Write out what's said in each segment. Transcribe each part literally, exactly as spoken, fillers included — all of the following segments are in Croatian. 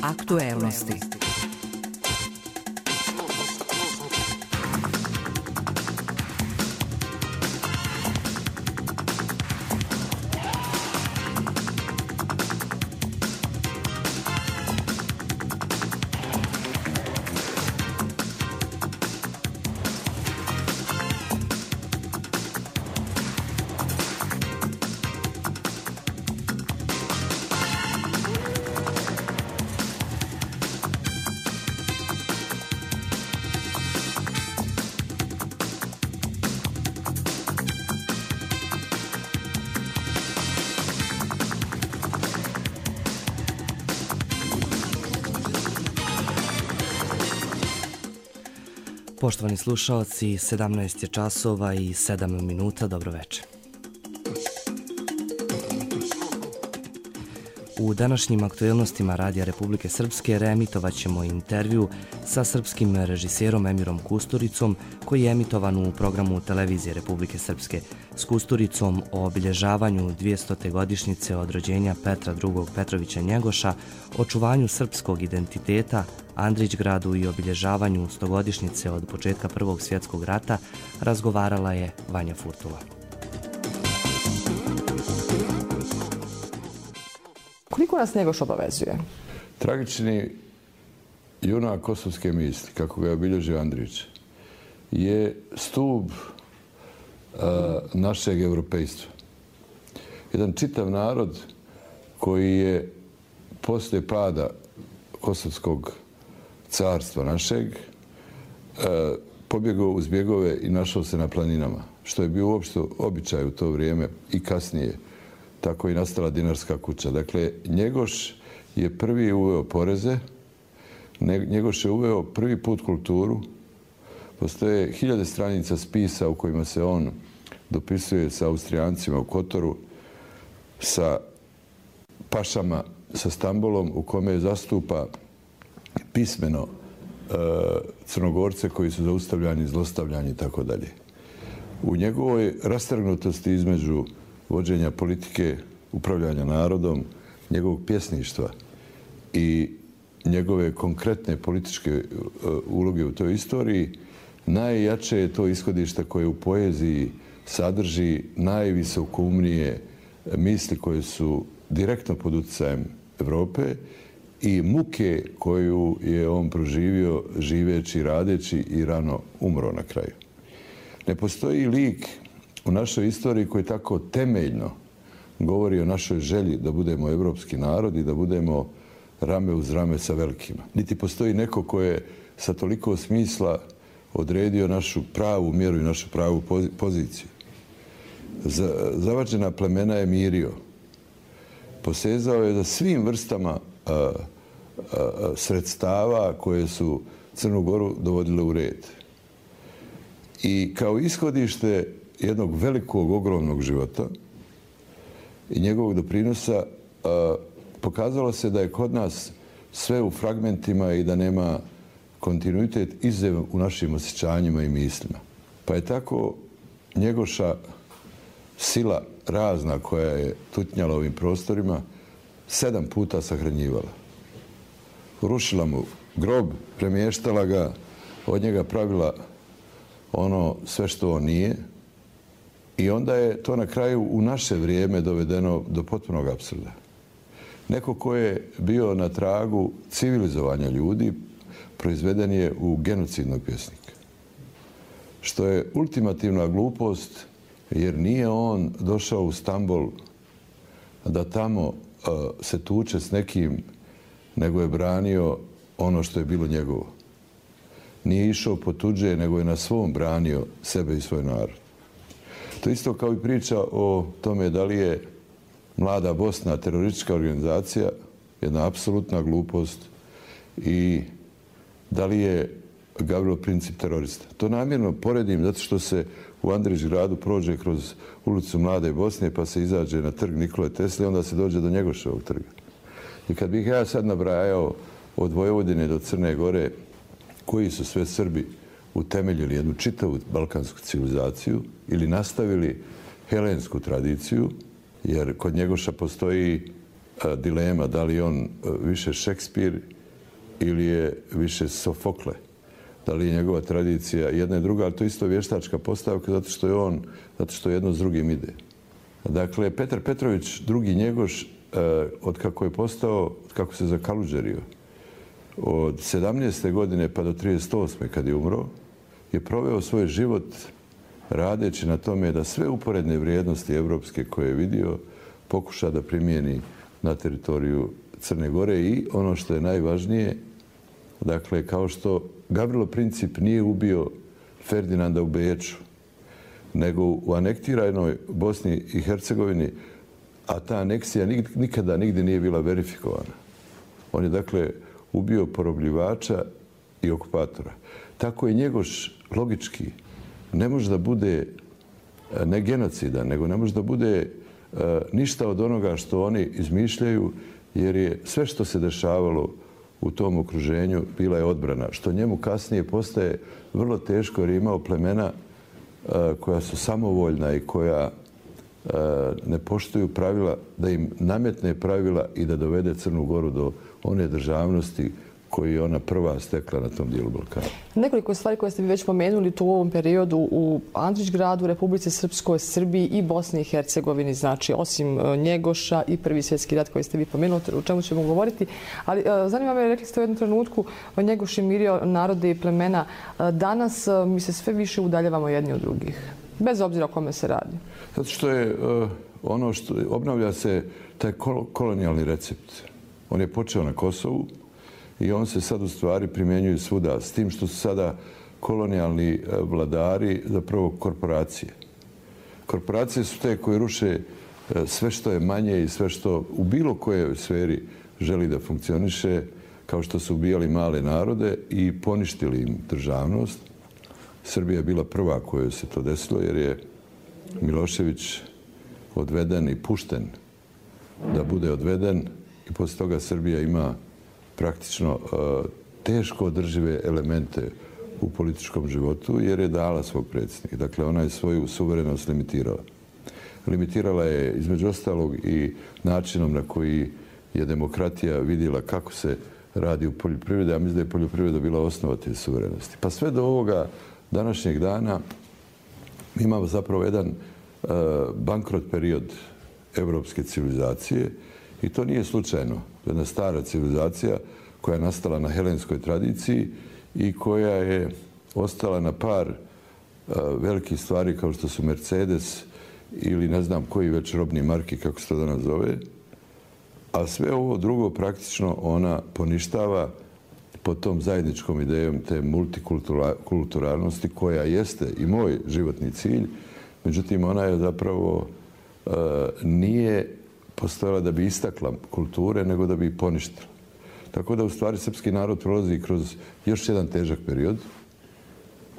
Aktuelnosti. Poštovani slušaoci, sedamnaest je časova i sedam minuta, dobro večer. U današnjim aktuelnostima Radija Republike Srpske reemitovat ćemo intervju sa srpskim režiserom Emirom Kusturicom, koji je emitovan u programu Televizije Republike Srpske. S Kusturicom o obilježavanju dvjestote godišnjice od rođenja Petra drugog Petrovića Njegoša, očuvanju srpskog identiteta, Andrićgradu i obilježavanju stogodišnjice od početka Prvog svjetskog rata razgovarala je Vanja Furtula. Koliko nas Njegoš obavezuje? Tragični junak kosovske misli, kako ga je obilježio Andrić, je stup uh, našeg europejstva. Jedan čitav narod koji je poslije pada kosovskog carstva našeg uh, pobjegao uz bjegove i našao se na planinama, što je bio uopšte običaj u to vrijeme i kasnije. Tako i nastala dinarska kuća. Dakle, Njegoš je prvi uveo poreze, Njegoš je uveo prvi put kulturu. Postoje hiljade stranica spisa u kojima se on dopisuje sa Austrijancima u Kotoru, sa pašama, sa Stambolom, u kome zastupa pismeno e, Crnogorce koji su zaustavljani, zlostavljani i tako dalje. U njegovoj rastrgnutosti između vođenja politike, upravljanja narodom, njegovog pjesništva i njegove konkretne političke uloge u toj istoriji, najjače je to ishodište koje u poeziji sadrži najvisokoumnije misli koje su direktno pod utjecajem Evrope i muke koju je on proživio živeći, radeći i rano umro na kraju. Ne postoji lik u našoj istoriji koji tako temeljno govori o našoj želji da budemo evropski narod i da budemo rame uz rame sa velikima. Niti postoji neko ko je sa toliko smisla odredio našu pravu mjeru i našu pravu poziciju. Zavađena plemena je mirio. Posezao je za svim vrstama a, a, a, sredstava koje su Crnu Goru dovodile u red. I kao ishodište jednog velikog, ogromnog života i njegovog doprinosa a, pokazalo se da je kod nas sve u fragmentima i da nema kontinuitet izuzev u našim osjećanjima i mislima. Pa je tako Njegoša sila razna koja je tutnjala ovim prostorima sedam puta sahranjivala. Rušila mu grob, premještala ga, od njega pravila ono sve što on nije. I onda je to na kraju u naše vrijeme dovedeno do potpunog apsurda. Neko ko je bio na tragu civilizovanja ljudi, proizveden je u genocidnog pjesnika. Što je ultimativna glupost, jer nije on došao u Stambol da tamo uh, se tuče s nekim, nego je branio ono što je bilo njegovo. Nije išao po tuđe, nego je na svom branio sebe i svoj narod. To isto kao i priča o tome da li je Mlada Bosna teroristička organizacija, jedna apsolutna glupost, i da li je Gavrilo Princip terorista. To namjerno poredim zato što se u Andrićgradu prođe kroz ulicu Mlade Bosne pa se izađe na trg Nikole Tesle i onda se dođe do Njegoševog trga. I kad bih ja sad nabrajao od Vojvodine do Crne Gore koji su sve Srbi utemeljili jednu čitavu balkansku civilizaciju ili nastavili helensku tradiciju, jer kod Njegoša postoji dilema da li je on više Šekspir ili je više Sofokle. Da li je njegova tradicija jedna i druga, ali to je isto vještačka postavka zato što je on, zato što jedno s drugim ide. Dakle, Petar Petrović, drugi Njegoš, od kako je postao, od kako se zakaluđerio, od sedamnaeste godine pa do trideset osme kad je umro, je proveo svoj život radeći na tome da sve uporedne vrijednosti evropske koje je vidio pokuša da primijeni na teritoriju Crne Gore i ono što je najvažnije, dakle, kao što Gavrilo Princip nije ubio Ferdinanda u Beču, nego u anektiranoj Bosni i Hercegovini, a ta aneksija nikada nigdje nije bila verifikovana. On je, dakle, ubio porobljivača i okupatora. Tako je Njegoš logički ne može da bude ne genocidan, nego ne može da bude ništa od onoga što oni izmišljaju, jer je sve što se dešavalo u tom okruženju bila je odbrana, što njemu kasnije postaje vrlo teško jer je imao plemena koja su samovoljna i koja ne poštuju pravila, da im nametne pravila i da dovede Crnu Goru do one državnosti koji je ona prva stekla na tom dijelu Balkana. Nekoliko stvari koje ste mi već pomenuli tu u ovom periodu u Andrićgradu, Republici Srpskoj, Srbiji i Bosni i Hercegovini, znači osim Njegoša i Prvi svjetski rat koji ste vi pomenuli, o čemu ćemo govoriti. Ali zanima me, rekli ste u jednom trenutku, Njegoš je mirio narode i plemena. Danas mi se sve više udaljavamo jedni od drugih, bez obzira o kome se radi. Zato što je ono što obnavlja se taj kolonijalni recept. On je počeo na Kosovu i on se sad u stvari primjenjuje svuda, s tim što su sada kolonijalni vladari zapravo korporacije. Korporacije su te koje ruše sve što je manje i sve što u bilo kojoj sferi želi da funkcioniše, kao što su ubijali male narode i poništili im državnost. Srbija je bila prva kojoj se to desilo jer je Milošević odveden i pušten da bude odveden i poslije toga Srbija ima praktično teško održive elemente u političkom životu jer je dala svog predsjednika. Dakle, ona je svoju suverenost limitirala. Limitirala je između ostalog i načinom na koji je demokratija vidjela kako se radi u poljoprivredi, a mislim da je poljoprivreda bila osnova te suverenosti. Pa sve do ovoga današnjeg dana imamo zapravo jedan bankrot period evropske civilizacije i to nije slučajno. Jedna stara civilizacija koja je nastala na helenskoj tradiciji i koja je ostala na par velikih stvari kao što su Mercedes ili ne znam koji već robni marki, kako se to danas zove, a sve ovo drugo praktično ona poništava pod tom zajedničkom idejom te multikulturalnosti koja jeste i moj životni cilj. Međutim, ona je zapravo nije postojala da bi istakla kulture, nego da bi ih poništila. Tako da u stvari srpski narod prolazi kroz još jedan težak period,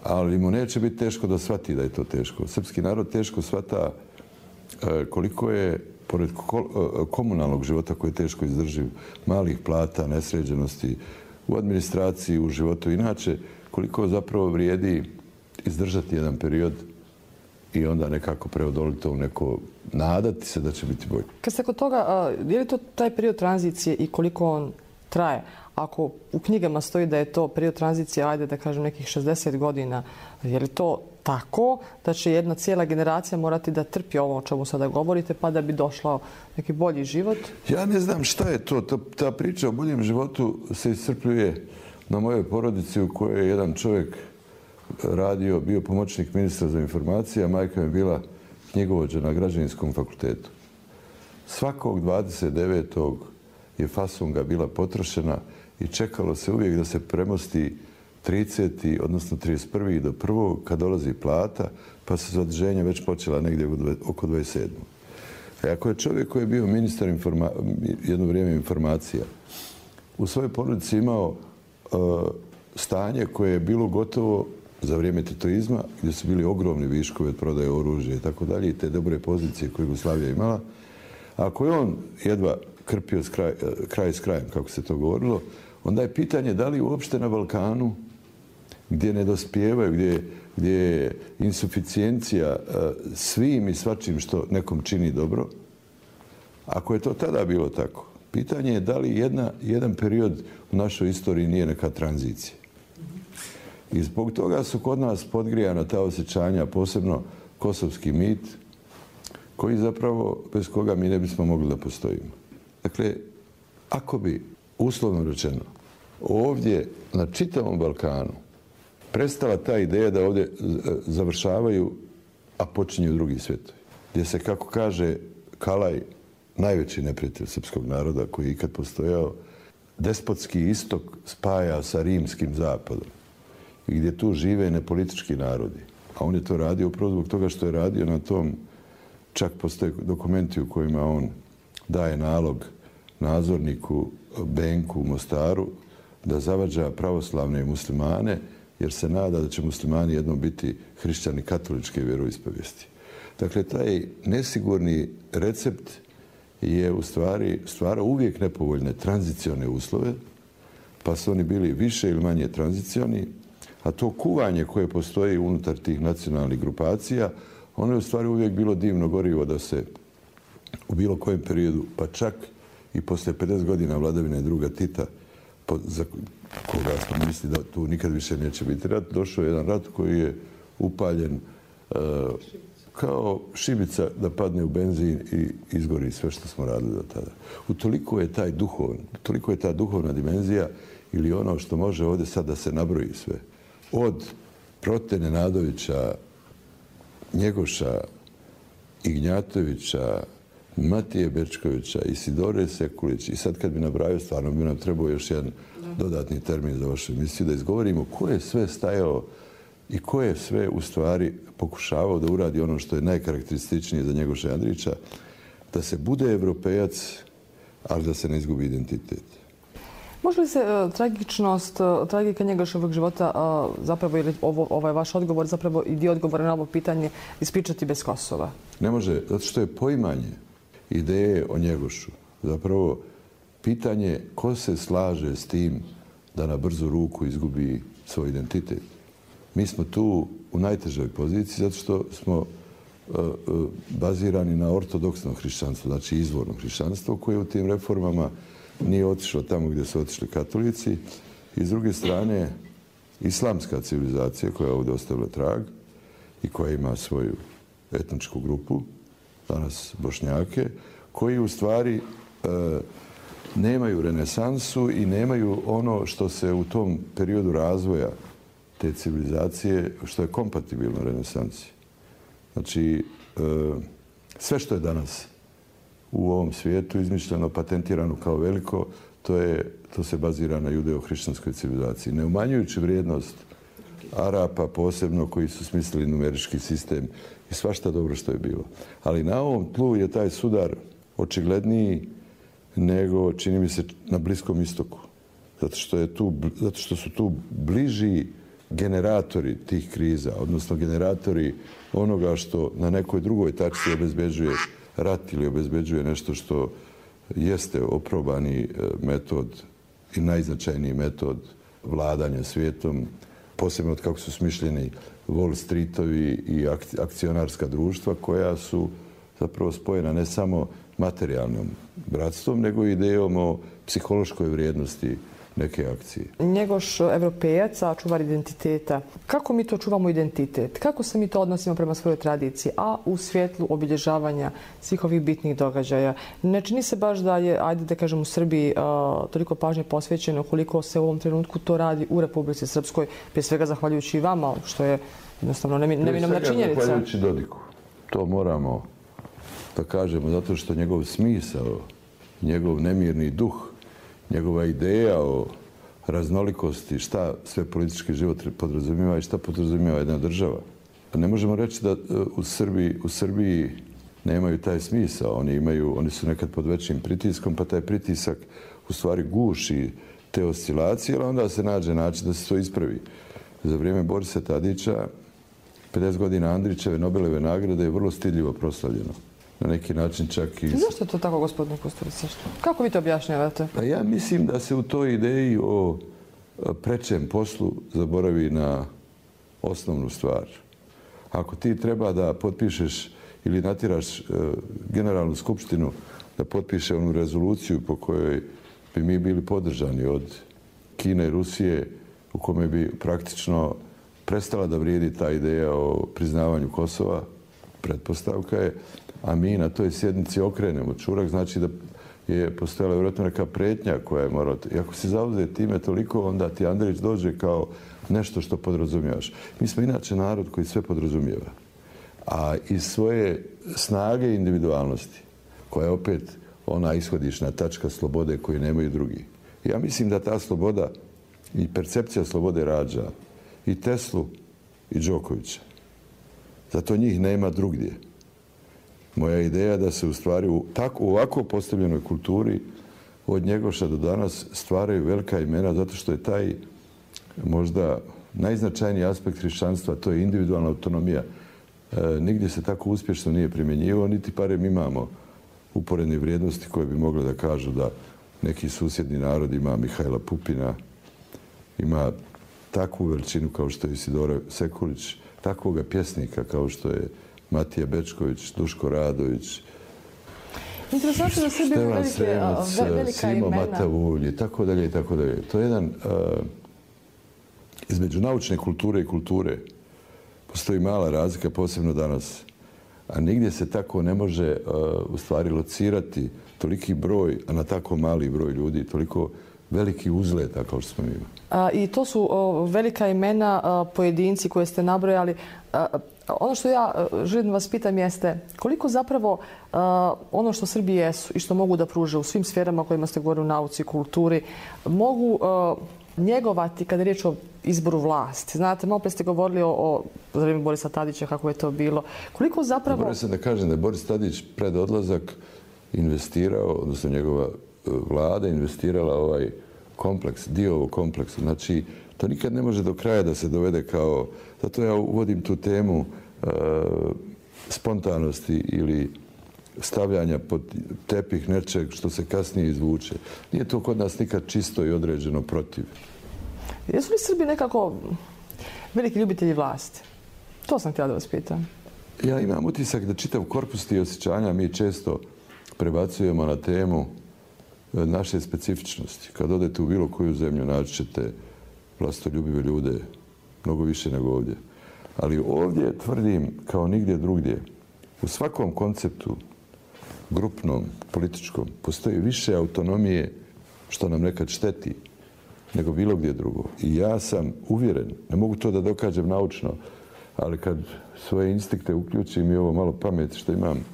ali mu neće biti teško da shvati da je to teško. Srpski narod teško shvata koliko je, pored komunalnog života koji je teško izdrživ, malih plata, nesređenosti, u administraciji, u životu inače, koliko zapravo vrijedi izdržati jedan period i onda nekako preodoliti to u neko, nadati se da će biti bolje. Kad ste kod toga, je li to taj period tranzicije i koliko on traje? Ako u knjigama stoji da je to period tranzicije, ajde da kažem nekih šezdeset godina, je li to tako da će jedna cijela generacija morati da trpi ovo o čemu sada govorite pa da bi došao neki bolji život? Ja ne znam šta je to. Ta, ta priča o boljem životu se iscrpljuje na mojoj porodici u kojoj je jedan čovjek radio, bio pomoćnik ministra za informacije, a majka mi je bila knjigovođa na Građevinskom fakultetu. Svakog dvadeset devetog je fasunga bila potrošena i čekalo se uvijek da se premosti trideseti odnosno trideset prvi do prvog kad dolazi plata, pa se zaduženja već počela negdje oko dvadeset sedmog A ako je čovjek koji je bio ministar informa, jedno vrijeme informacija, u svojoj porodici imao uh, stanje koje je bilo gotovo za vrijeme titoizma, gdje su bili ogromni viškovi od prodaje oružja i tako dalje, i te dobre pozicije koje Jugoslavija imala. Ako je on jedva krpio kraj, kraj s krajem, kako se to govorilo, onda je pitanje da li uopšte na Balkanu, gdje ne dospijevaju, gdje, gdje je insuficijencija svim i svačim što nekom čini dobro, ako je to tada bilo tako, Pitanje je da li jedna, jedan period u našoj istoriji nije neka tranzicija. I zbog toga su kod nas podgrijana ta osjećanja, posebno kosovski mit, koji zapravo, bez koga mi ne bismo mogli da postojimo. Dakle, ako bi, uslovno rečeno, ovdje na čitavom Balkanu prestala ta ideja da ovdje završavaju, a počinju drugi svjetovi, gdje se, kako kaže Kalaj, najveći neprijatelj srpskog naroda koji je ikad postojao, despotski istok spaja sa rimskim zapadom i gdje tu žive nepolitički narodi. A on je to radio upravo zbog toga što je radio na tom, čak postoje dokumenti u kojima on daje nalog nadzorniku Benku u Mostaru da zavađa pravoslavne muslimane, jer se nada da će muslimani jednom biti hrišćani katoličke vjeroispovijesti. Dakle, taj nesigurni recept je u stvari stvarao uvijek nepovoljne tranzicione uslove, pa su oni bili više ili manje tranzicioni, a to kuvanje koje postoji unutar tih nacionalnih grupacija, ono je u stvari uvijek bilo divno gorivo da se u bilo kojem periodu, pa čak i poslije pedeset godina vladavine druga Tita, za koga smo misli da tu nikad više neće biti rat, došao je jedan rat koji je upaljen uh, kao šibica da padne u benzin i izgori sve što smo radili do tada. Utoliko je taj duhovn, toliko je ta duhovna dimenzija ili ono što može ovdje sad da se nabroji sve. Od Prote Nenadovića, Njegoša, Ignjatovića, Matije Bečkovića, Isidore Sekulić, i sad kad bi nabrajao, stvarno bi nam trebao još jedan dodatni termin za vašu emisiju, da izgovorimo ko je sve stajao i ko je sve u stvari pokušavao da uradi ono što je najkarakterističnije za Njegoša Andrića, da se bude evropejac, ali da se ne izgubi identitet. Može li se uh, tragičnost, uh, tragika Njegoševog života, uh, zapravo, ili ovo, ovaj vaš odgovor, zapravo i dio odgovora na ovo pitanje, ispričati bez Kosova? Ne može, zato što je poimanje ideje o Njegošu zapravo pitanje ko se slaže s tim da na brzu ruku izgubi svoj identitet. Mi smo tu u najtežoj poziciji zato što smo uh, uh, bazirani na ortodoksnom hrišćanstvu, znači izvornom hrišćanstvu, koje u tim reformama nije otišlo tamo gdje su otišli katolici. I s druge strane, islamska civilizacija koja je ovdje ostavila trag i koja ima svoju etničku grupu, danas Bošnjake, koji u stvari e, nemaju renesansu i nemaju ono što se u tom periodu razvoja te civilizacije, što je kompatibilno renesansi. Znači, e, sve što je danas u ovom svijetu izmišljeno, patentirano kao veliko, to, je, to se bazira na judeo-hrišćanskoj civilizaciji. Ne umanjujući vrijednost Arapa posebno koji su smislili numerički sistem i svašta dobro što je bilo. Ali na ovom tlu je taj sudar očigledniji nego, čini mi se, na Bliskom istoku. Zato što, je tu, zato što su tu bliži generatori tih kriza, odnosno generatori onoga što na nekoj drugoj tačci obezbeđuje rat ili obezbeđuje nešto što jeste oprobani metod i najznačajniji metod vladanja svijetom, posebno od kako su smišljeni Wall Streetovi i akcionarska društva koja su zapravo spojena ne samo materijalnom bratstvom, nego i idejom o psihološkoj vrijednosti neke akcije. Njegoš evropejac, a čuvar identiteta. Kako mi to čuvamo identitet? Kako se mi to odnosimo prema svojoj tradiciji, a u svjetlu obilježavanja svih ovih bitnih događaja? Ne čini se baš da je, ajde da kažem, u Srbiji a, toliko pažnje posvećeno koliko se u ovom trenutku to radi u Republici Srpskoj, prije svega zahvaljujući i vama, što je jednostavno neminovna činjenica. Prije svega zahvaljujući Dodiku. To moramo da kažemo, zato što njegov smisao, njegov nemirni duh, njegova ideja o raznolikosti, šta sve politički život podrazumijeva i šta podrazumijeva jedna država. Ne možemo reći da u Srbiji, u Srbiji nemaju taj smisao. Oni, imaju, oni su nekad pod većim pritiskom, pa taj pritisak u stvari guši te oscilacije, ali onda se nađe način da se to ispravi. Za vrijeme Borisa Tadića, pedeset godina Andrićeve Nobelove nagrade je vrlo stidljivo proslavljeno. Na neki način čak i... Zašto je to tako, gospodine Kusturica? Kako vi to objašnjavate? Pa ja mislim da se u toj ideji o prečem poslu zaboravi na osnovnu stvar. Ako ti treba da potpišeš ili natiraš generalnu skupštinu da potpiše onu rezoluciju po kojoj bi mi bili podržani od Kine i Rusije, u kome bi praktično prestala da vrijedi ta ideja o priznavanju Kosova, pretpostavka je, a mi na toj sjednici okrenemo čurak, znači da je postojala vjerojatno neka pretnja koja je morala... I ako si zauzet time toliko, onda ti Andrić dođe kao nešto što podrazumiješ. Mi smo inače narod koji sve podrazumijeva. A iz svoje snage i individualnosti, koja je opet ona ishodišna tačka slobode koju nemaju drugi. Ja mislim da ta sloboda i percepcija slobode rađa i Teslu i Đokovića. Zato njih nema drugdje. Moja ideja da se u stvari u, tako, u ovako postavljenoj kulturi od Njegoša do danas stvaraju velika imena zato što je taj možda najznačajniji aspekt hrišćanstva, to je individualna autonomija. E, nigdje se tako uspješno nije primjenjivao, niti parem imamo uporedne vrijednosti koje bi mogle da kažu da neki susjedni narod ima Mihajla Pupina, ima takvu veličinu kao što je Isidora Sekulić, takvoga pjesnika kao što je Matija Bečković, Duško Radović, Interesantno da Srbija ima velike, velika Simo imena. Matavulj i tako dalje i tako dalje. To je jedan, uh, između naučne kulture i kulture postoji mala razlika, posebno danas. A nigdje se tako ne može uh, u stvari locirati toliki broj, a na tako mali broj ljudi, toliko veliki uzleta kao što smo imali. A, I to su o, velika imena, a, pojedinci koje ste nabrojali. A, ono što ja a, želim da vas pitam jeste koliko zapravo a, ono što Srbi jesu i što mogu da pruže u svim sferama o kojima ste govorili u nauci i kulturi, mogu a, njegovati kada je riječ o izboru vlasti. Znate, malo pre ste govorili o, o za vrijeme Borisa Tadića, kako je to bilo. Koliko zapravo... Moram se da kažem da je Boris Tadić pred odlazak investirao, odnosno njegova vlada investirala ovaj kompleks, dio ovog kompleksa. Znači, to nikad ne može do kraja da se dovede kao... Zato ja uvodim tu temu e, spontanosti ili stavljanja pod tepih nečeg što se kasnije izvuče. Nije to kod nas nikad čisto i određeno protiv. Jesu li Srbi nekako veliki ljubitelji vlasti? To sam htjela da vas pitam. Ja imam utisak da čitav korpus tih osjećanja mi često prebacujemo na temu naše specifičnosti. Kad odete u bilo koju zemlju, naći ćete vlastoljubive ljude, mnogo više nego ovdje. Ali ovdje tvrdim, kao nigdje drugdje, u svakom konceptu, grupnom, političkom, postoji više autonomije, što nam nekad šteti, nego bilo gdje drugo. I ja sam uvjeren, ne mogu to da dokažem naučno, ali kad svoje instinkte uključim i ovo malo pameti što imam,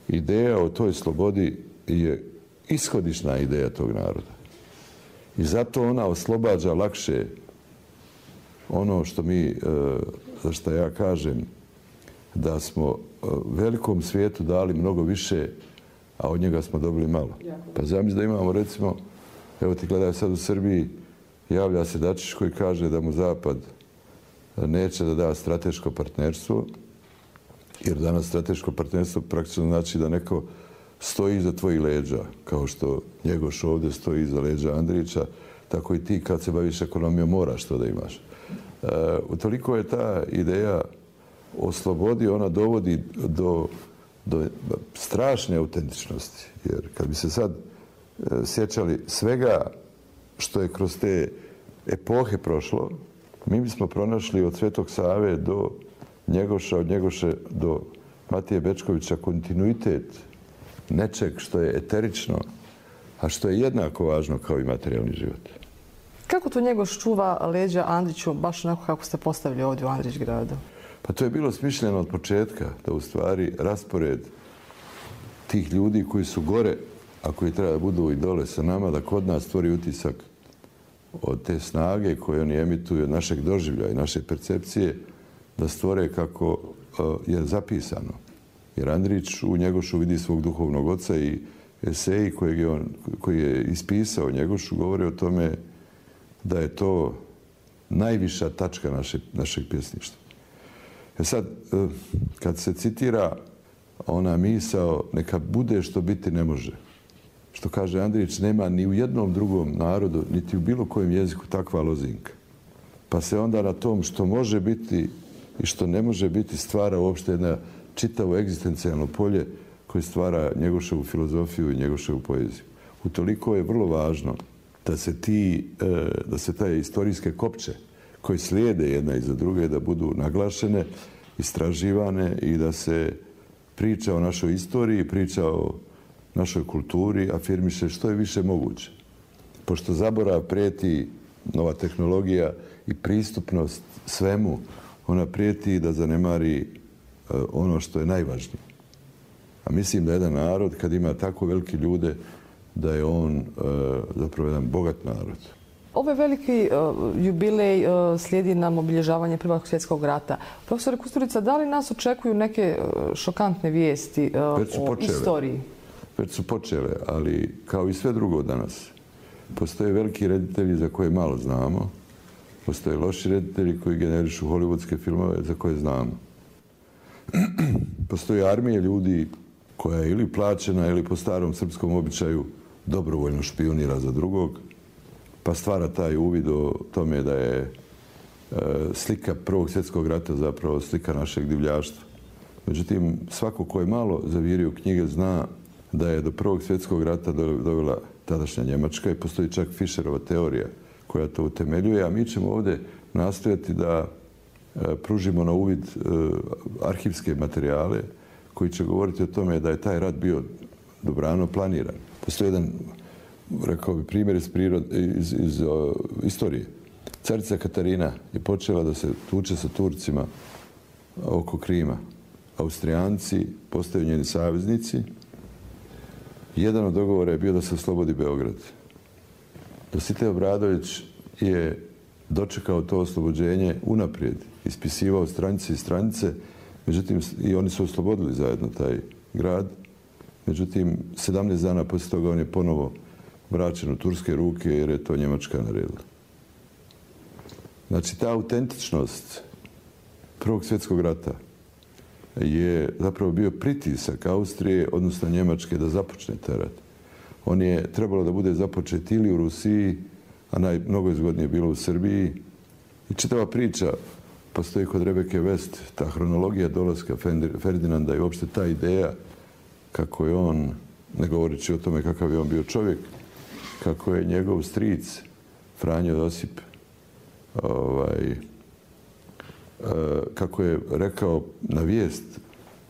ideja o toj slobodi je ishodišna ideja tog naroda. I zato ona oslobađa lakše ono što mi, za što ja kažem, da smo velikom svijetu dali mnogo više, a od njega smo dobili malo. Pa zamisli da imamo, recimo, evo ti gledaj sad u Srbiji, javlja se Dačić koji kaže da mu Zapad neće da da strateško partnerstvo, jer danas strateško partnerstvo praktično znači da neko stoji iza tvojih leđa, kao što Njegoš ovdje stoji iza leđa Andrića, tako i ti kad se baviš ekonomijom moraš to da imaš. E, utoliko je ta ideja o slobodi, ona dovodi do, do strašne autentičnosti. Jer kad bi se sad e, sjećali svega što je kroz te epohe prošlo, mi bismo pronašli od Svetog Save do Njegoša, od Njegoše do Matije Bečkovića kontinuitet nečeg što je eterično, a što je jednako važno kao i materijalni život. Kako to Njegoš čuva leđa Andriću, baš onako kako ste postavili ovdje u Andrićgradu? Pa to je bilo smišljeno od početka, da u stvari raspored tih ljudi koji su gore, a koji treba da budu i dole sa nama, da kod nas stvori utisak od te snage koje oni emituju, od našeg doživlja i naše percepcije, da stvore kako je zapisano. Jer Andrić u Njegošu vidi svog duhovnog oca i eseji koji je, on, koji je ispisao Njegošu govore o tome da je to najviša tačka naše, našeg pjesništva. E sad, kad se citira ona misao neka bude što biti ne može, što kaže Andrić, nema ni u jednom drugom narodu, niti u bilo kojem jeziku takva lozinka. Pa se onda na tom što može biti i što ne može biti stvara uopšte jedna čitavo egzistencijalno polje koji stvara Njegoševu filozofiju i Njegoševu poeziju. Utoliko je vrlo važno da se, ti, da se taj istorijske kopče koje slijede jedna iza druge da budu naglašene, istraživane i da se priča o našoj istoriji, priča o našoj kulturi, afirmiše što je više moguće. Pošto zaborav prijeti nova tehnologija i pristupnost svemu, ona prijeti da zanemari ono što je najvažnije. A mislim da jedan narod, kad ima tako velike ljude, da je on zapravo jedan bogat narod. Ovaj veliki jubilej slijedi nam obilježavanje Prvog svjetskog rata. Profesor Kusturica, da li nas očekuju neke šokantne vijesti o istoriji? Već su počele, ali kao i sve drugo danas. Postoje veliki reditelji za koje malo znamo. Postoje loši reditelji koji generišu hollywoodske filmove za koje znamo. Postoje armije ljudi koja je ili plaćena ili po starom srpskom običaju dobrovoljno špijunira za drugog, pa stvara taj uvid o tome da je slika Prvog svjetskog rata zapravo slika našeg divljaštva. Međutim, svako ko je malo zavirio knjige zna da je do Prvog svjetskog rata dovela tadašnja Njemačka i postoji čak Fischerova teorija koja to utemeljuje, a mi ćemo ovdje nastojati da pružimo na uvid arhivske materijale koji će govoriti o tome da je taj rat bio dobrano planiran. Postoji jedan, rekao bi, primjer iz, prirode, iz, iz uh, istorije. Carica Katarina je počela da se tuče sa Turcima oko Krima. Austrijanci postaju njeni saveznici. Jedan od dogovora je bio da se oslobodi Beograd. Dositej Obradović je dočekao to oslobođenje unaprijed, ispisivao stranice i stranice, međutim i oni su oslobodili zajedno taj grad. Međutim, sedamnaest dana poslije toga on je ponovo vraćen u turske ruke jer je to Njemačka naredila. Znači, ta autentičnost Prvog svjetskog rata je zapravo bio pritisak Austrije, odnosno Njemačke, da započne taj rat. On je trebalo da bude započet ili u Rusiji, a naj, mnogo je zgodnije bilo u Srbiji. I čitava priča postoji kod Rebeke West, ta hronologija dolaska Ferdinanda i uopšte ta ideja kako je on, ne govoreći o tome kakav je on bio čovjek, kako je njegov stric Franjo Josip ovaj, kako je rekao na vijest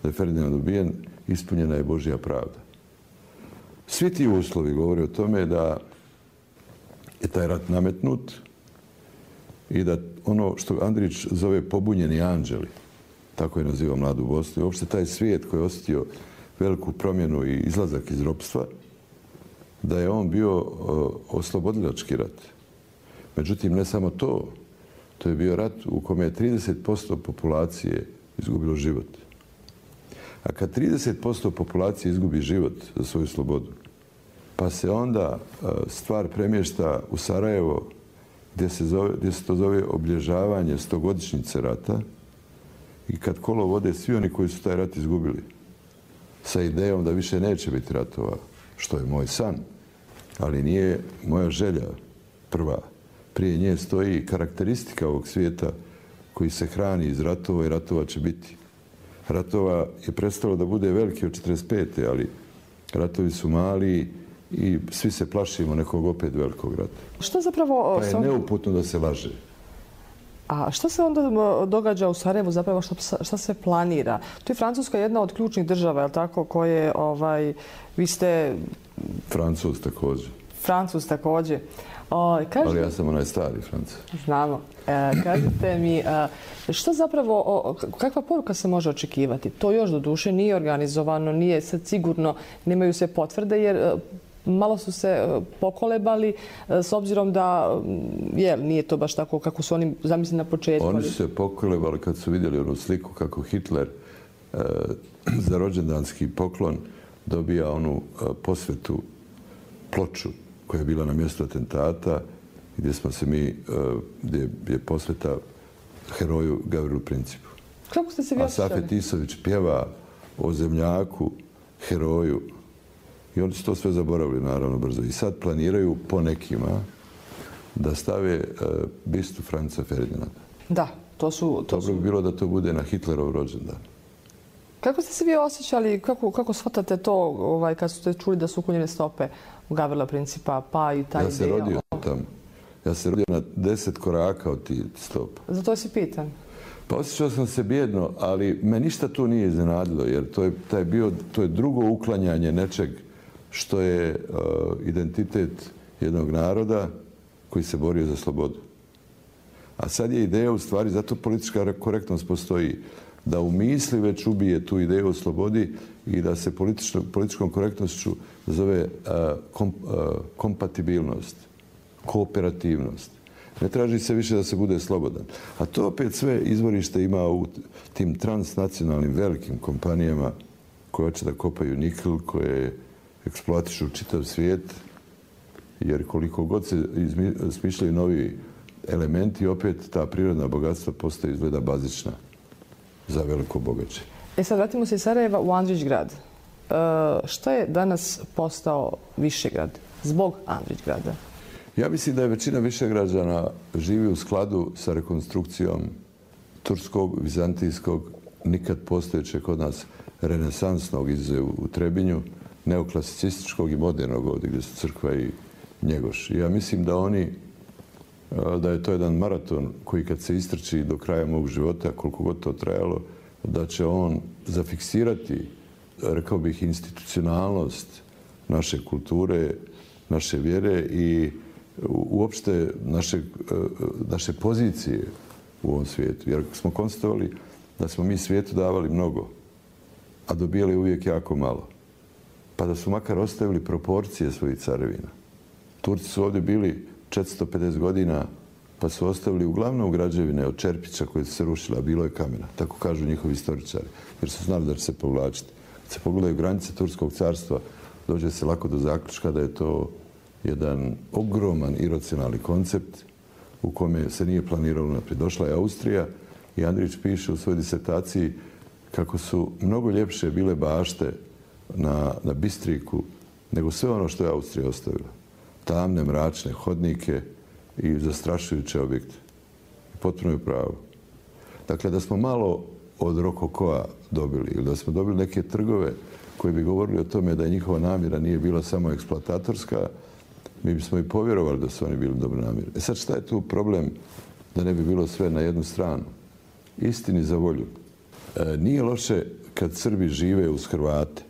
da je Ferdinand ubijen, ispunjena je Božja pravda. Svi ti uslovi govore o tome da je taj rat nametnut i da ono što Andrić zove pobunjeni anđeli, tako je nazivao mladu Bosnu, i uopšte taj svijet koji je osjetio veliku promjenu i izlazak iz ropstva, da je on bio oslobodilački rat. Međutim, ne samo to, to je bio rat u kome je trideset posto populacije izgubilo život. A kad trideset posto populacije izgubi život za svoju slobodu, pa se onda stvar premješta u Sarajevo, gdje se, zove, gdje se to zove obilježavanje stogodišnjice rata, i kad kolo vode svi oni koji su taj rat izgubili, sa idejom da više neće biti ratova, što je moj san, ali nije moja želja prva. Prije nje stoji karakteristika ovog svijeta koji se hrani iz ratova i ratova će biti. Ratova je prestalo da bude veliki od četrdeset pete ali ratovi su mali i svi se plašimo nekog opet velikog rata. Što zapravo... Pa je neuputno da se laže. A što se onda događa u Sarajevu, zapravo što se planira? To je Francuska jedna od ključnih država, je li tako, koje, ovaj, vi ste... Francuz također. Francuz također. O, kažete... Ali ja sam onaj stari Francuz. Znamo. E, kažete mi, e, što zapravo, o, kakva poruka se može očekivati? To još do duše nije organizovano, nije sad sigurno, nemaju se potvrde, jer e, malo su se pokolebali e, s obzirom da je, nije to baš tako kako su oni zamislili na početku. Oni su se pokolebali kad su vidjeli onu sliku kako Hitler e, za rođendanski poklon dobija onu e, posvetu, ploču koja je bila na mjestu atentata, gdje smo se mi, gdje je posveta heroju Gavrilu Principu. Kako ste se vi osjećali? A Safet Isović pjeva o zemljaku, heroju. I oni su to sve zaboravili, naravno, brzo. I sad planiraju po nekima da stave bistu Franca Ferdinanda. Da, to su... To Dobro bi bilo da to bude na Hitlerov rođendan. Kako ste se vi osjećali, kako, kako shvatate to ovaj, kad ste čuli da su uklonjene stope Gavrila Principa, pa i taj Ja se ideja? rodio tamo. Ja se rodio na deset koraka od tih stopa. Zato si pitan. Pa osjećao sam se bijedno, ali me ništa tu nije iznenadilo, jer to je, taj bio, to je drugo uklanjanje nečeg što je uh, identitet jednog naroda koji se borio za slobodu. A sad je ideja u stvari, zato politička korektnost postoji, da u misli već ubije tu ideju o slobodi i da se političkom korektnošću zove uh, kom, uh, kompatibilnost, kooperativnost. Ne traži se više da se bude slobodan. A to opet sve izvorište ima u tim transnacionalnim velikim kompanijama koje hoće da kopaju nikl, koje eksploatišu čitav svijet, jer koliko god se smišljaju novi elementi, opet ta prirodna bogatstva postaje izgleda bazična za veliko bogaće. E sad vratimo se iz Sarajeva u Andrićgrad. E, šta je danas postao Višegrad zbog Andrićgrada? Ja mislim da je većina Višegrađana živi u skladu sa rekonstrukcijom turskog, vizantijskog, nikad postojećeg kod nas renesansnog izuzev u Trebinju, neoklasicističkog i modernog ovdje gdje su crkva i Njegoš. I ja mislim da oni, da je to jedan maraton koji kad se istrči do kraja mog života, koliko god to trajalo, da će on zafiksirati, rekao bih, institucionalnost naše kulture, naše vjere i uopšte naše, naše pozicije u ovom svijetu. Jer smo konstatovali da smo mi svijetu davali mnogo, a dobijali uvijek jako malo. Pa da su makar ostavili proporcije svojih carevina. Turci su ovdje bili četiristo pedeset godina, pa su ostavili uglavnom građevine od čerpića koje su se rušile, a bilo je kamena. Tako kažu njihovi istoričari, jer su znali da će se povlačiti. Kad se pogledaju granice Turskog carstva, dođe se lako do zaključka da je to jedan ogroman iracionalni koncept u kome se nije planiralo naprijed. Došla je Austrija i Andrić piše u svojoj disertaciji kako su mnogo ljepše bile bašte na, na Bistriku nego sve ono što je Austrija ostavila. Tamne, mračne hodnike i zastrašujuće objekte. Potpuno je pravo. Dakle, da smo malo od rokokoa dobili ili da smo dobili neke trgove koji bi govorili o tome da je njihova namjera nije bila samo eksploatatorska, mi bismo i povjerovali da su oni bili dobro namjeri. E sad, šta je tu problem da ne bi bilo sve na jednu stranu? Istini za volju. E, nije loše kad Srbi žive uz Hrvate.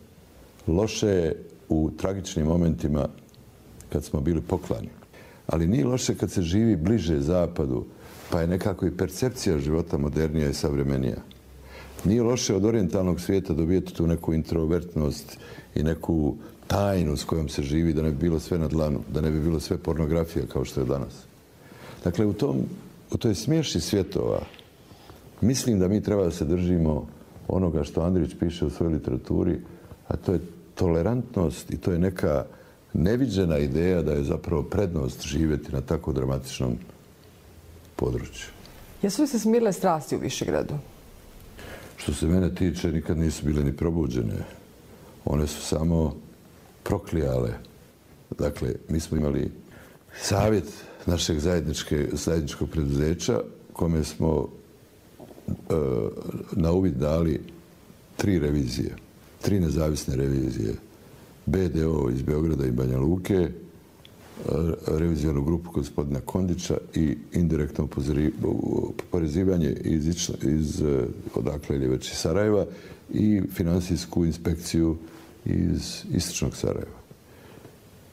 Loše je u tragičnim momentima kad smo bili poklani. Ali nije loše kad se živi bliže zapadu, pa je nekako i percepcija života modernija i savremenija. Nije loše od orijentalnog svijeta dobijeti tu neku introvertnost i neku tajnu s kojom se živi, da ne bi bilo sve na dlanu, da ne bi bilo sve pornografija kao što je danas. Dakle, u, tom, u toj smješi svjetova mislim da mi treba da se držimo onoga što Andrić piše u svojoj literaturi, a to je tolerantnost i to je neka neviđena ideja da je zapravo prednost živjeti na tako dramatičnom području. Jesu li se smirile strasti u Višegradu? Što se mene tiče, nikad nisu bile ni probuđene. One su samo proklijale. Dakle, mi smo imali savjet našeg zajedničkog preduzeća kome smo e, na uvid dali tri revizije, tri nezavisne revizije. B D O iz Beograda i Banja Luke, revizijonu grupu gospodina Kondića i indirektno oporezivanje iz, iz odakle ili već iz Sarajeva i finansijsku inspekciju iz istočnog Sarajeva.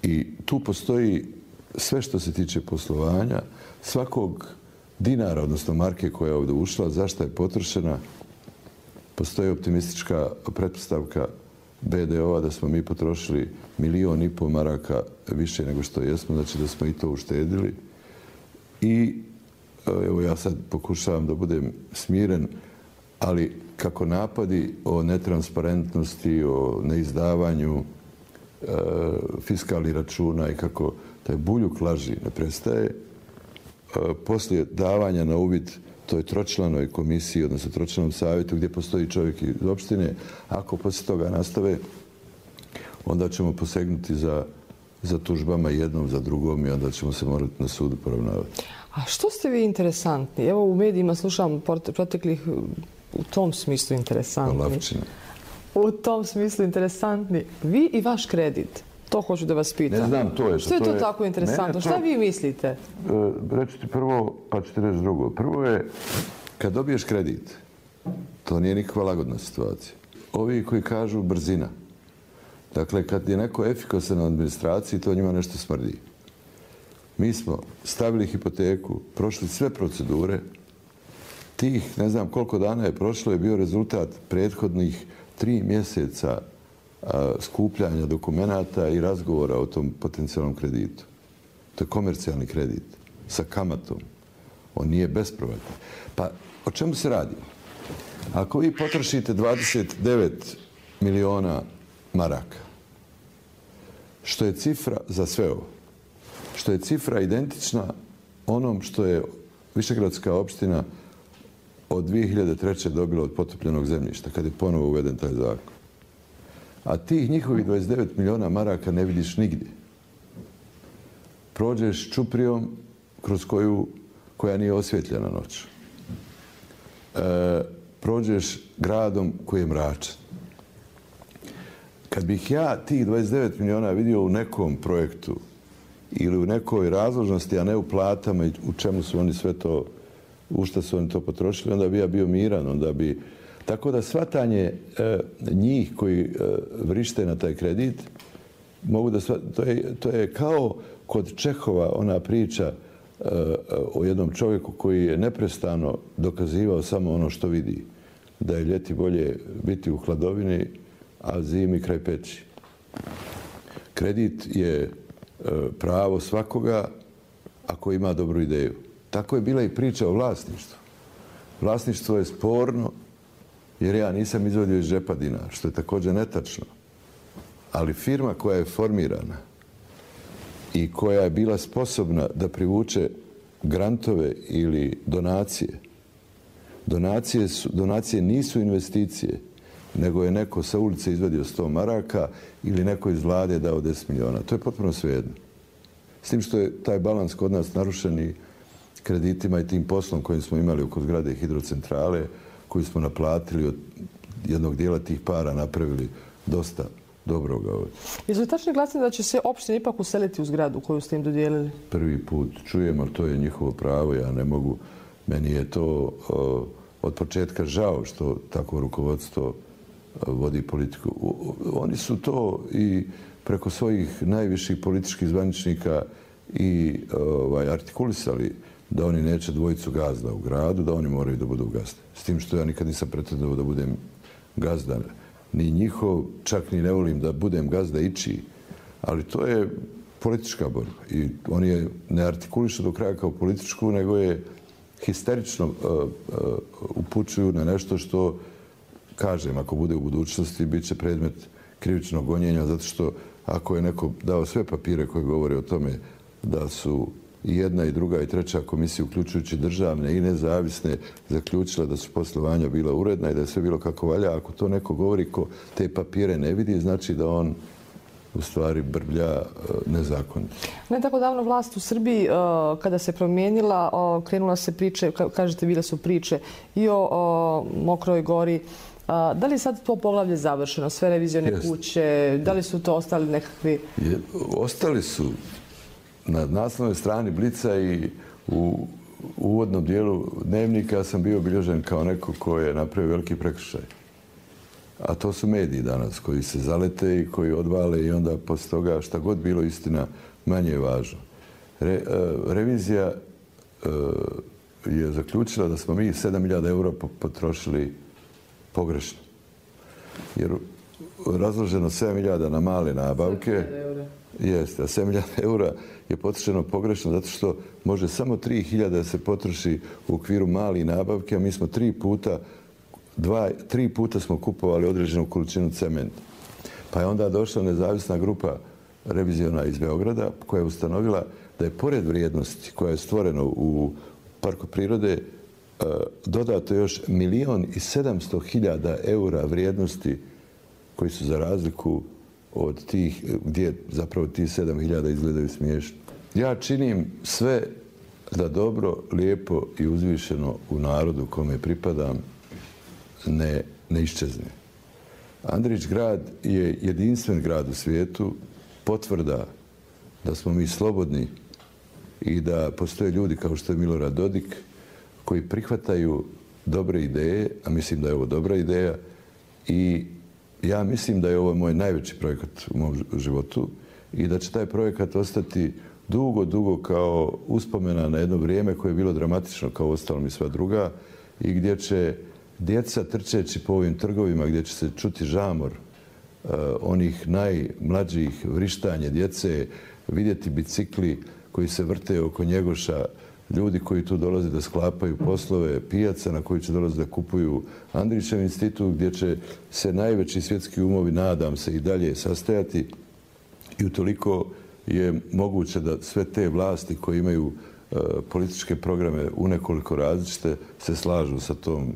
I tu postoji sve što se tiče poslovanja, svakog dinara, odnosno marke koja je ovdje ušla, zašto je potrošena, postoji optimistička pretpostavka B D O-a da smo mi potrošili milion i pol maraka više nego što jesmo, znači da smo i to uštedili. I evo ja sad pokušavam da budem smiren, ali kako napadi o netransparentnosti, o neizdavanju e, fiskalnih računa i kako taj buljuk laži ne prestaje, e, poslije davanja na uvid toj tročlanoj komisiji, odnosno tročlanom savjetu gdje postoji čovjek iz opštine, ako poslije toga nastave, onda ćemo posegnuti za, za tužbama jednom, za drugom i onda ćemo se morati na sudu poravnavati. A što ste vi interesantni? Evo u medijima slušam proteklih u tom smislu interesantni. Lavčina. u tom smislu interesantni. Vi i vaš kredit. To hoću da vas pitam. Ne znam, to je. Što je to tako interesantno? Šta vi mislite? Reći ti prvo, pa ću ti reći drugo. Prvo je, kad dobiješ kredit, to nije nikakva lagodna situacija. Ovi koji kažu brzina. Dakle, kad je neko efikasan na administraciji, to njima nešto smrdi. Mi smo stavili hipoteku, prošli sve procedure. Tih, ne znam koliko dana je prošlo, je bio rezultat prethodnih tri mjeseca skupljanja dokumenata i razgovora o tom potencijalnom kreditu. To je komercijalni kredit sa kamatom. On nije bespovratni. Pa o čemu se radi? Ako vi potrošite dvadeset devet miliona maraka, što je cifra za sve ovo, što je cifra identična onom što je Višegradska opština od dvije hiljade treće dobila od potopljenog zemljišta, kad je ponovo uveden taj zakon. A tih njihovih dvadeset devet miliona maraka ne vidiš nigdje. Prođeš čuprijom kroz koju, koja nije osvjetljena noć. E, prođeš gradom koji je mračan. Kad bih ja tih dvadeset devet miliona vidio u nekom projektu ili u nekoj razložnosti, a ne u platama i u čemu su oni sve to, u šta su oni to potrošili, onda bi ja bio miran, onda bi... Tako da shvatanje e, njih koji e, vrište na taj kredit, mogu da shvat, to, je, to je kao kod Čehova ona priča e, o jednom čovjeku koji je neprestano dokazivao samo ono što vidi. Da je ljeti bolje biti u hladovini, a zimi kraj peći. Kredit je e, pravo svakoga ako ima dobru ideju. Tako je bila i priča o vlasništvu. Vlasništvo je sporno, jer ja nisam izvodio iz džepa dinar, što je također netačno. Ali firma koja je formirana i koja je bila sposobna da privuče grantove ili donacije, donacije, su, donacije nisu investicije, nego je neko sa ulice izvadio sto maraka ili neko iz vlade dao deset miliona. To je potpuno svejedno. S tim što je taj balans kod nas narušen i kreditima i tim poslom kojim smo imali oko zgrade hidrocentrale, koji smo naplatili od jednog dijela tih para, napravili dosta dobroga ovdje. Jesu li tačni glasni da će se opština ipak useliti u zgradu koju ste im dodijelili? Prvi put čujem, ali to je njihovo pravo, ja ne mogu. Meni je to o, od početka žao što tako rukovodstvo vodi politiku. Oni su to i preko svojih najviših političkih zvaničnika i ovaj, artikulisali da oni neće dvojicu gazda u gradu, da oni moraju da budu gazde. S tim što ja nikad nisam pretendovao da budem gazda. Ni njihov, čak ni ne volim da budem gazda ičiji. Ali to je politička borba. I oni je ne artikulišu do kraja kao političku, nego je histerično uh, uh, upućuju na nešto što, kažem, ako bude u budućnosti, bit će predmet krivičnog gonjenja, zato što ako je neko dao sve papire koje govore o tome da su i jedna i druga i treća komisija, uključujući državne i nezavisne, zaključila da su poslovanja bila uredna i da je sve bilo kako valja. Ako to neko govori ko te papire ne vidi, znači da on u stvari brblja nezakonito. Ne tako davno vlast u Srbiji, kada se promijenila, krenula se priče, kažete, bile su priče i o Mokroj Gori. Da li je sad to poglavlje završeno, sve revizione kuće, da li su to ostali nekakvi... Ostali su. Na naslovnoj strani Blica i u uvodnom dijelu Dnevnika sam bio obilježen kao neko ko je napravio veliki prekršaj. A to su mediji danas koji se zalete i koji odvale i onda posle toga šta god bilo istina manje je važno. Re, uh, revizija uh, je zaključila da smo mi sedam hiljada eura potrošili pogrešno. Jer razloženo sedam hiljada na male nabavke. Jeste, a sedam hiljada eura je potrošeno pogrešno zato što može samo tri hiljade da se potroši u okviru malih nabavke, a mi smo tri puta, dva, tri puta smo kupovali određenu količinu cementa. Pa je onda došla nezavisna grupa reviziona iz Beograda koja je ustanovila da je pored vrijednosti koja je stvorena u parku prirode dodato još milion i sedamsto hiljada eura vrijednosti koji su za razliku od tih, gdje zapravo tih sedam hiljada izgledaju smiješno. Ja činim sve da dobro, lijepo i uzvišeno u narodu kome pripadam ne, ne iščezne. Andrić grad je jedinstven grad u svijetu, potvrda da smo mi slobodni i da postoje ljudi kao što je Milorad Dodik koji prihvataju dobre ideje, a mislim da je ovo dobra ideja i ja mislim da je ovo moj najveći projekat u mom životu i da će taj projekat ostati dugo, dugo kao uspomena na jedno vrijeme koje je bilo dramatično kao ostalom i sva druga i gdje će djeca trčeći po ovim trgovima, gdje će se čuti žamor uh, onih najmlađih, vrištanje djece, vidjeti bicikli koji se vrte oko Njegoša, ljudi koji tu dolaze da sklapaju poslove, pijaca na koji će dolaze da kupuju Andrićev institut, gdje će se najveći svjetski umovi, nadam se, i dalje sastajati. I utoliko je moguće da sve te vlasti koje imaju uh, političke programe u nekoliko različite se slažu sa tom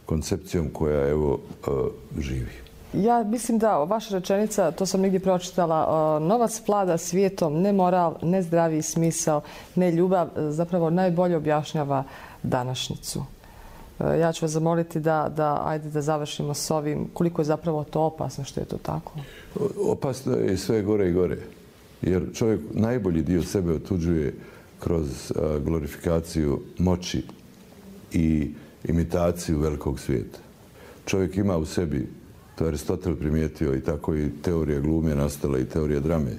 koncepcijom koja evo uh, živi. Ja mislim da vaša rečenica, to sam negdje pročitala, novac vlada svijetom, ne moral, ne zdravi smisao, ne ljubav, zapravo najbolje objašnjava današnjicu. Ja ću vas zamoliti da, da, ajde da završimo s ovim. Koliko je zapravo to opasno što je to tako? Opasno je sve gore i gore. Jer čovjek najbolji dio sebe otuđuje kroz glorifikaciju moći i imitaciju velikog svijeta. Čovjek ima u sebi, to je Aristotel primijetio i tako i teorija glume nastala i teorija drame,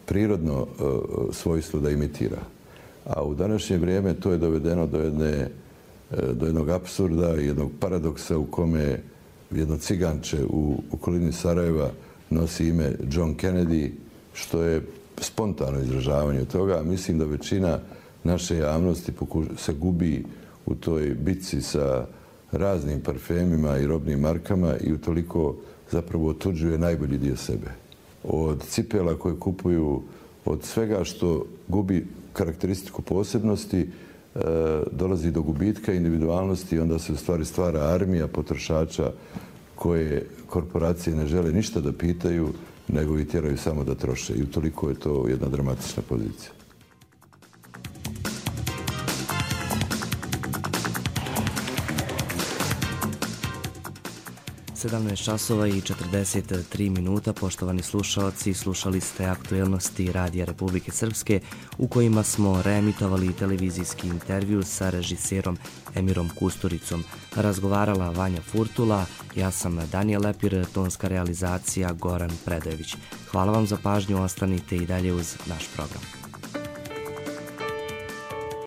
prirodno uh, svojstvo da imitira. A u današnje vrijeme to je dovedeno do, jedne, uh, do jednog apsurda i jednog paradoksa u kome jedno ciganče u okolini Sarajeva nosi ime John Kennedy, što je spontano izražavanje toga. Mislim da većina naše javnosti se gubi u toj bitci sa raznim parfemima i robnim markama i utoliko zapravo otuđuje najbolji dio sebe. Od cipela koje kupuju, od svega što gubi karakteristiku posebnosti, e, dolazi do gubitka individualnosti i onda se u stvari stvara armija potrošača koje korporacije ne žele ništa da pitaju, nego i tjeraju samo da troše. I utoliko je to jedna dramatična pozicija. sedamnaest časova i četrdeset tri minuta, poštovani slušalci, slušali ste aktuelnosti Radija Republike Srpske u kojima smo reemitovali televizijski intervju sa režiserom Emirom Kusturicom. Razgovarala Vanja Furtula, ja sam Danijel Lepir, tonska realizacija Goran Predojević. Hvala vam za pažnju, ostanite i dalje uz naš program.